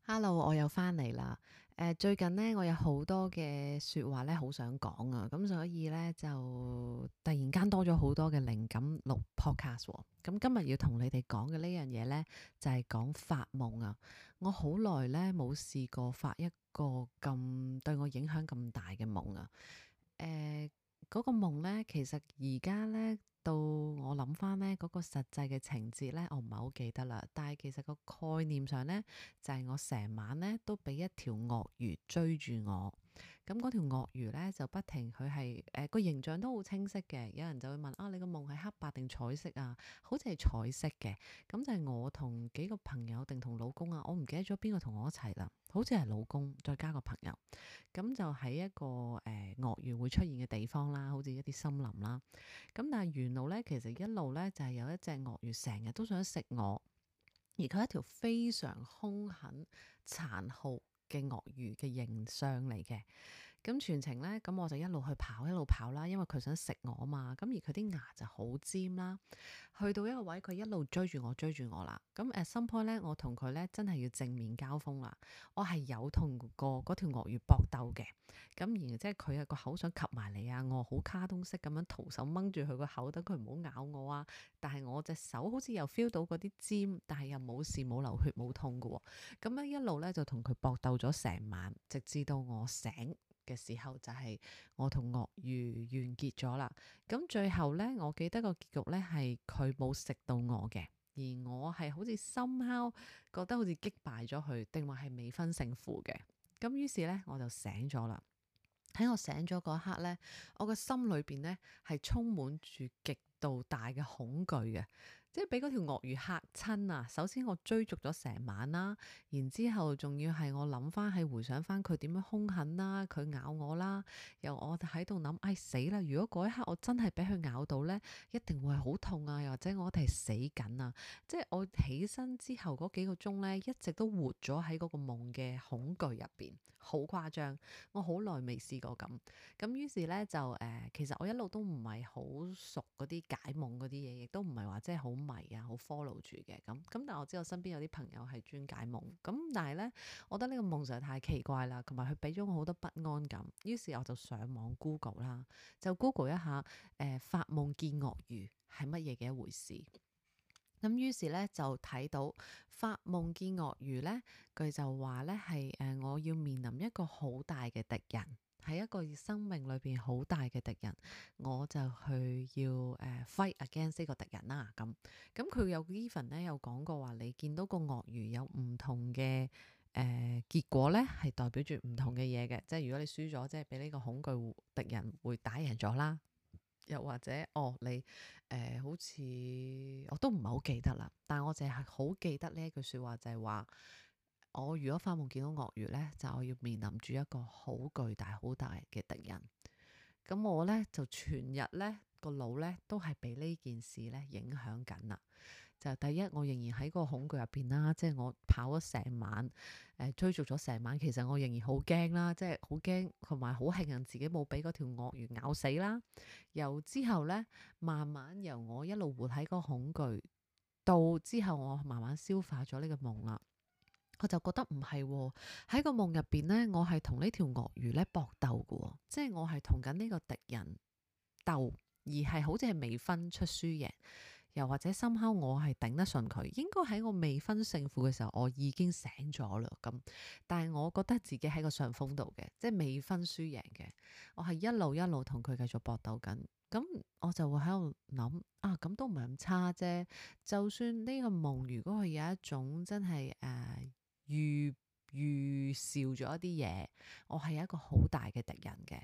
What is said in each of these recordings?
Hello，我又翻嚟啦。最近呢，我有好多嘅說話咧，好想講啊，咁所以咧就突然間多咗好多嘅靈感錄 podcast 喎。咁今日要同你哋講嘅呢樣嘢咧，就係講發夢啊。我好耐咧冇試過發一個咁對我影響咁大嘅夢啊。誒，嗰個夢咧，其實而家咧到我諗翻咧嗰個實際嘅情節咧，我唔係好記得啦。但係其實個概念上咧，就係我成晚咧都俾一條鱷魚追住我。咁嗰條鱷魚咧就不停，佢係個形象都好清晰嘅。有人就會問啊，你個夢係黑白定彩色啊？好似係彩色嘅。咁就係我同幾個朋友定同老公啊，我唔記得咗邊個同我一齊啦。好似係老公再加個朋友。咁就喺一個鱷魚會出現嘅地方啦，好似一啲森林啦。咁但係沿路咧，其實一路咧就係有一隻鱷魚成日都想食我，而佢係一條非常兇狠、殘酷嘅鱷魚嘅形象嚟嘅。咁全程咧，咁我就一路去跑，一路跑啦，因為佢想食我啊嘛。咁而佢啲牙就好尖啦。去到一個位，佢一路追住我，追住我啦。咁some point咧，我同佢咧真係要正面交鋒啦。我係有同過嗰條鱷魚搏鬥嘅。咁然即係佢係個口想及埋嚟啊，我好卡通式咁樣徒手掹住佢個口，等佢唔好咬我啊。但係我隻手好似又 feel 到嗰啲尖，但係又冇事，冇流血，冇痛㗎喎。咁咧一路咧就同佢搏鬥咗成晚，直至到我醒嘅時候，就係我同鱷魚完結咗啦。咁最後咧，我記得個結局咧係佢冇食到我嘅，而我係好似somehow覺得好似擊敗咗佢，定話係未分勝負嘅。咁於是咧我就醒咗啦。喺我醒咗嗰一刻咧，我個心裏邊咧係充滿住極度大嘅恐懼嘅，即係俾嗰條鱷魚嚇親啊！首先我追逐咗成晚啦，然之後仲要係我諗翻係回想翻佢點樣兇狠啦，佢咬我啦，又我喺度諗，唉死啦！如果嗰一刻我真係俾佢咬到咧，一定會係好痛啊，又或者我哋係死緊啊！即係我起身之後嗰幾個鐘咧，一直都活咗喺嗰個夢嘅恐懼入邊，好誇張。我好耐未試過咁，咁於是咧就其實我一路都唔係好熟嗰啲解夢嗰啲嘢，亦都唔係話即係好迷啊，好 follow 住嘅咁。但係我知道我身邊有啲朋友係專解夢，咁但係咧，我覺得呢個夢實在太奇怪啦，同埋佢俾咗我好多不安感。於是我就上網 Google 啦，就 Google 一下發夢見鱷魚係乜嘢嘅一回事。咁於是咧就睇到發夢見鱷魚咧，佢就話咧係我要面臨一個好大嘅敵人，係一個生命裏邊好大嘅敵人，我就去要fight against 呢個敵人啦。咁佢有 even 咧有講過話，你見到個鱷魚有唔同嘅結果咧，係代表住唔同嘅嘢嘅。即係如果你輸咗，即係俾呢個恐懼敵人會打贏咗啦。又或者你好似我都唔係好記得啦，但係我淨係好記得呢一句説話，就係話我如果發夢見到鱷魚呢，就我要面臨住一個好巨大、好大嘅敵人。咁我呢，就全日呢個腦呢，都係俾呢件事呢影響緊啦。就第一，我仍然喺個恐懼入邊啦，即係我跑咗成晚，追逐咗成晚，其實我仍然好驚啦，即係好驚，同埋好慶幸自己冇俾嗰條鱷魚咬死啦。由之後呢，慢慢由我一路活喺個恐懼，到之後我慢慢消化咗呢個夢啦，我就覺得唔係喎，喺個夢入邊呢，我係同呢條鱷魚呢搏鬥嘅喎，即係我係同緊呢個敵人鬥，而係好似係未分出輸贏。又或者深刻我係頂得順佢，應該喺我未分勝負嘅時候，我已經醒咗啦。咁，但係我覺得自己喺個上風度嘅，即係未分輸贏嘅。我係一路一路同佢繼續搏鬥緊。咁我就會喺度諗啊，咁都唔係咁差啫。就算呢個夢，如果佢有一種真係預兆咗一啲嘢，我係一個好大嘅敵人嘅。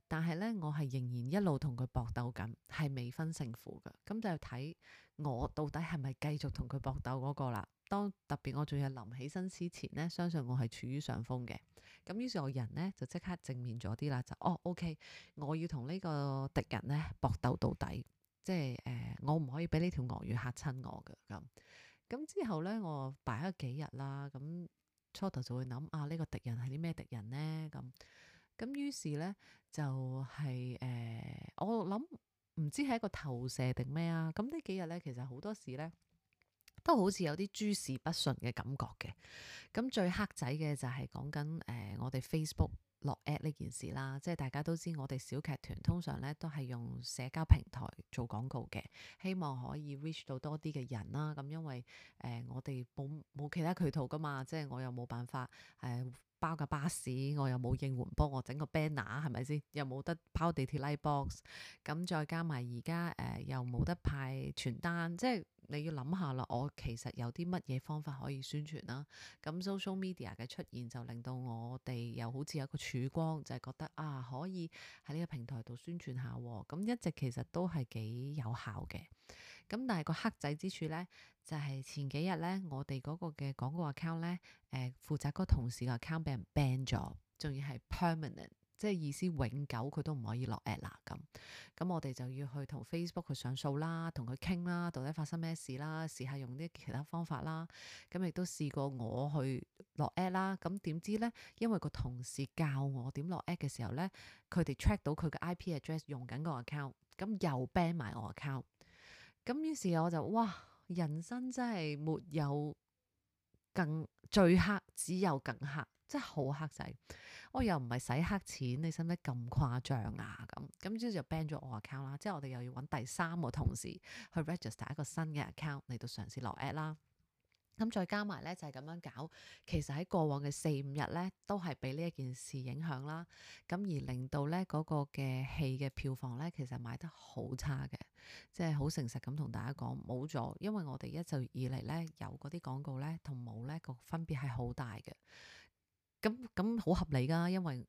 但係咧，我係仍然一路同佢搏鬥緊，係未分勝負嘅。咁就睇我到底係咪繼續同佢搏鬥嗰個啦。當特別我仲要臨起身之前呢，相信我係處於上風嘅。咁於是我人呢，就即刻正面咗啲啦，就OK，我要同呢個敵人呢搏鬥到底，即係我唔可以俾呢條鱷魚嚇親我嘅咁之後呢，我擺咗幾日啦，咁初頭就會諗啊，呢個敵人係啲咩敵人呢？咁於是呢，就係我諗唔知係一個投射定咩啊？咁呢幾日呢，其實好多時呢，都好似有啲諸事不順嘅感覺嘅。咁最黑仔嘅就係講緊我哋 Facebook 落 ad 呢件事啦，即係大家都知我哋小劇團通常咧都係用社交平台做廣告嘅，希望可以 reach 到多啲嘅人啦。咁因為我哋冇其他渠道噶嘛，即係我又冇辦法包架巴士，我又冇應援幫我整個 banner 係咪先？又冇得拋地鐵 light box，咁再加埋而家又冇得派傳單，即係你要諗下啦。我其實有啲乜嘢方法可以宣傳啦？咁 social media 嘅出現就令到我哋又好似有一個曙光，就係覺得可以喺呢個平台度宣傳下喎。咁一直其實都係幾有效嘅。咁但係個黑仔之處呢，就係前幾日呢，我哋嗰個嘅廣告 account 呢，負責嗰個同事嘅 account 俾人 ban 咗，仲要係 permanent，即係意思永久佢都唔可以落 ad 啦。咁我哋就要去同 Facebook 去上訴啦，同佢傾啦，到底發生咩事啦，試下用啲其他方法啦。咁亦都試過我去落 ad 啦。咁點知呢？因為個同事教我點落 ad 嘅時候呢，佢哋 track 到佢嘅 IP address 用緊個 account，咁又 ban 埋我 account。咁於是我就哇，人生真係沒有更最黑，只有更黑，真係好黑仔。我又唔係洗黑錢，你使唔使咁誇張啊？咁之後就 ban 咗我 account 啦。即係我哋又要揾第三個同事去 register 一個新嘅 account 嚟到嘗試落 ad 啦。咁再加埋咧就係咁樣搞，其實喺過往嘅4-5日咧都係俾呢一件事影響啦。咁而令到咧嗰個嘅戲嘅票房咧其實賣得好差嘅，即係好誠實咁同大家講冇咗，因為我哋一直以嚟咧有嗰啲廣告咧同冇咧個分別係好大嘅。咁好合理㗎，因為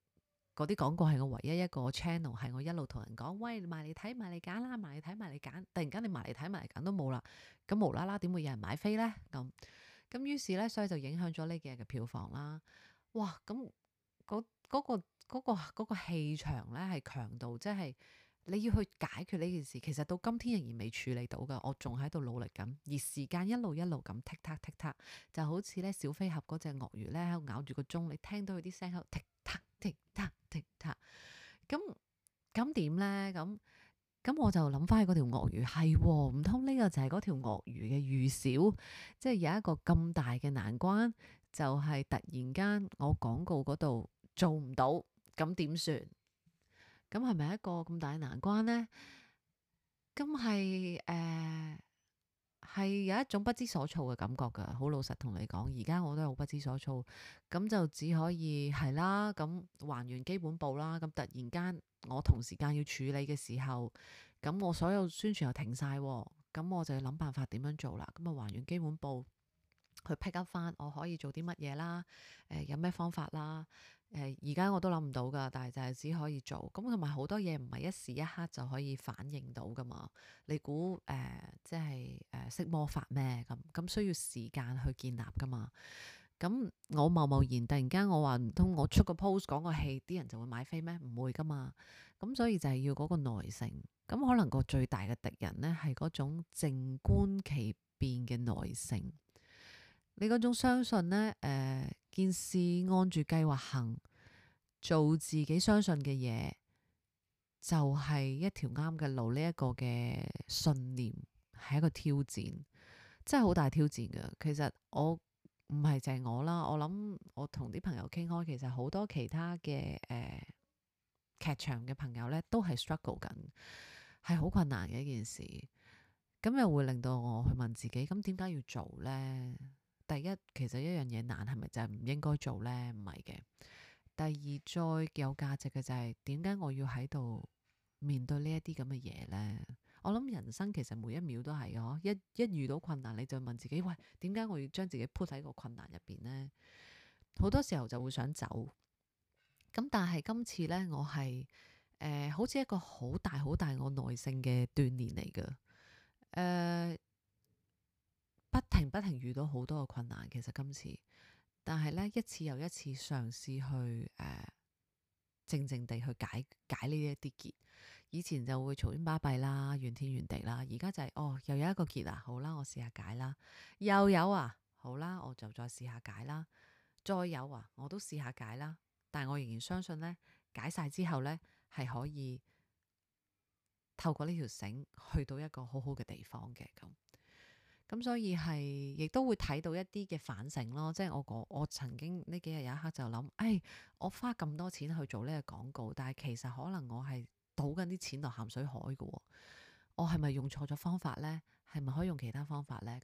嗰啲廣告係我唯一一個 channel 係我一路同人講，喂，埋嚟睇埋嚟揀啦，埋嚟睇埋嚟揀。突然間你埋嚟睇埋嚟揀都冇啦，咁無啦啦點會有人買飛呢？咁於是呢，所以就影響咗呢幾日嘅票房啦。哇！咁嗰個氣場呢係強到，即係你要去解決呢件事，其實到今天仍然未處理到㗎，我仲喺度努力緊。而時間一路一路咁剔嗒剔嗒，就好似呢小飛俠嗰隻鱷魚呢喺度咬住個鐘，你聽到佢啲聲喺度剔嗒剔嗒剔嗒。咁點呢？咁我就諗翻起嗰條鱷魚，係唔通呢個就係嗰條鱷魚嘅預兆？即係有一個咁大嘅難關，就係突然間我廣告嗰度做唔到，咁點算？咁係咪一個咁大嘅難關呢？咁係有一種不知所措嘅感覺㗎。好老實同你講，而家我都係好不知所措，咁就只可以係啦，咁還原基本步啦。咁突然間我同時間要處理嘅時候，咁我所有宣傳又停晒，咁我就要諗辦法點樣做啦。咁啊還原基本步，去 pick up 翻我可以做啲乜嘢啦，有咩方法啦。而家我都諗唔到㗎，但係就係只可以做。咁同埋好多嘢唔係一時一刻就可以反應到㗎嘛。你估即係識魔法咩？咁需要時間去建立㗎嘛。咁我貿貿然突然間我話唔通我出個 post 講個戲，啲人就會買飛咩？唔會㗎嘛。咁所以就係要嗰個耐性。咁可能個最大嘅敵人呢，係嗰種靜觀其變嘅耐性。你嗰種相信呢，件事按住計劃行，做自己相信嘅嘢，就係一條啱嘅路。呢一個嘅信念係一個挑戰，真係好大挑戰㗎。其實我唔係淨係我啦，我諗我同啲朋友傾開，其實好多其他嘅劇場嘅朋友呢，都係 struggle 緊，係好困難嘅一件事。咁又會令到我去問自己，咁點解要做呢？第一，其實一樣嘢難，係咪就係唔應該做呢？唔係嘅。第二，再有價值嘅就係點解我要喺度面對呢一啲咁嘅嘢呢？我諗人生其實每一秒都係嘅，一遇到困難你就問自己，喂，點解我要將自己 put 喺個困難入邊呢？好多時候就會想走。咁但係今次呢，我係好似一個好大好大我耐性嘅鍛鍊嚟嘅。不停遇到好多嘅困難，其實今次，但係呢，一次又一次嘗試去靜靜地去解呢一啲結。以前就會嘈喧巴閉啦，怨天怨地啦，而家就係又有一個結啦，好啦，我試下解啦。又有啊，好啦，我就再試下解啦。再有啊，我都試下解啦。但係我仍然相信呢，解晒之後呢，係可以透過呢條繩去到一個好好嘅地方嘅咁。咁所以係亦都會睇到一啲嘅反省咯，即係我曾經呢幾日有一刻就諗，我花咁多錢去做呢個廣告，但係其實可能我係倒緊啲錢落鹹水海嘅喎，我係咪用錯咗方法呢？係咪可以用其他方法呢？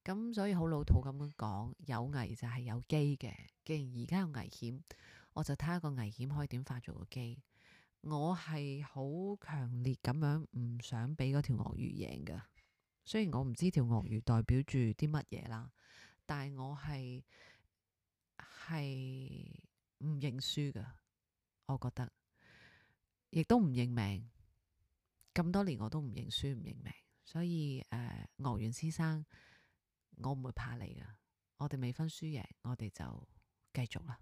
咁所以好老土咁樣講，有危就係有機嘅。既然而家有危險，我就睇下個危險可以點化做個機。我係好強烈咁樣唔想俾嗰條鱷魚贏㗎。雖然我唔知條鱷魚代表住啲乜嘢啦，但係我係唔認輸㗎。我覺得亦都唔認命。咁多年我都唔認輸唔認命，所以鱷魚先生，我唔會怕你㗎。我哋未分輸贏，我哋就繼續啦。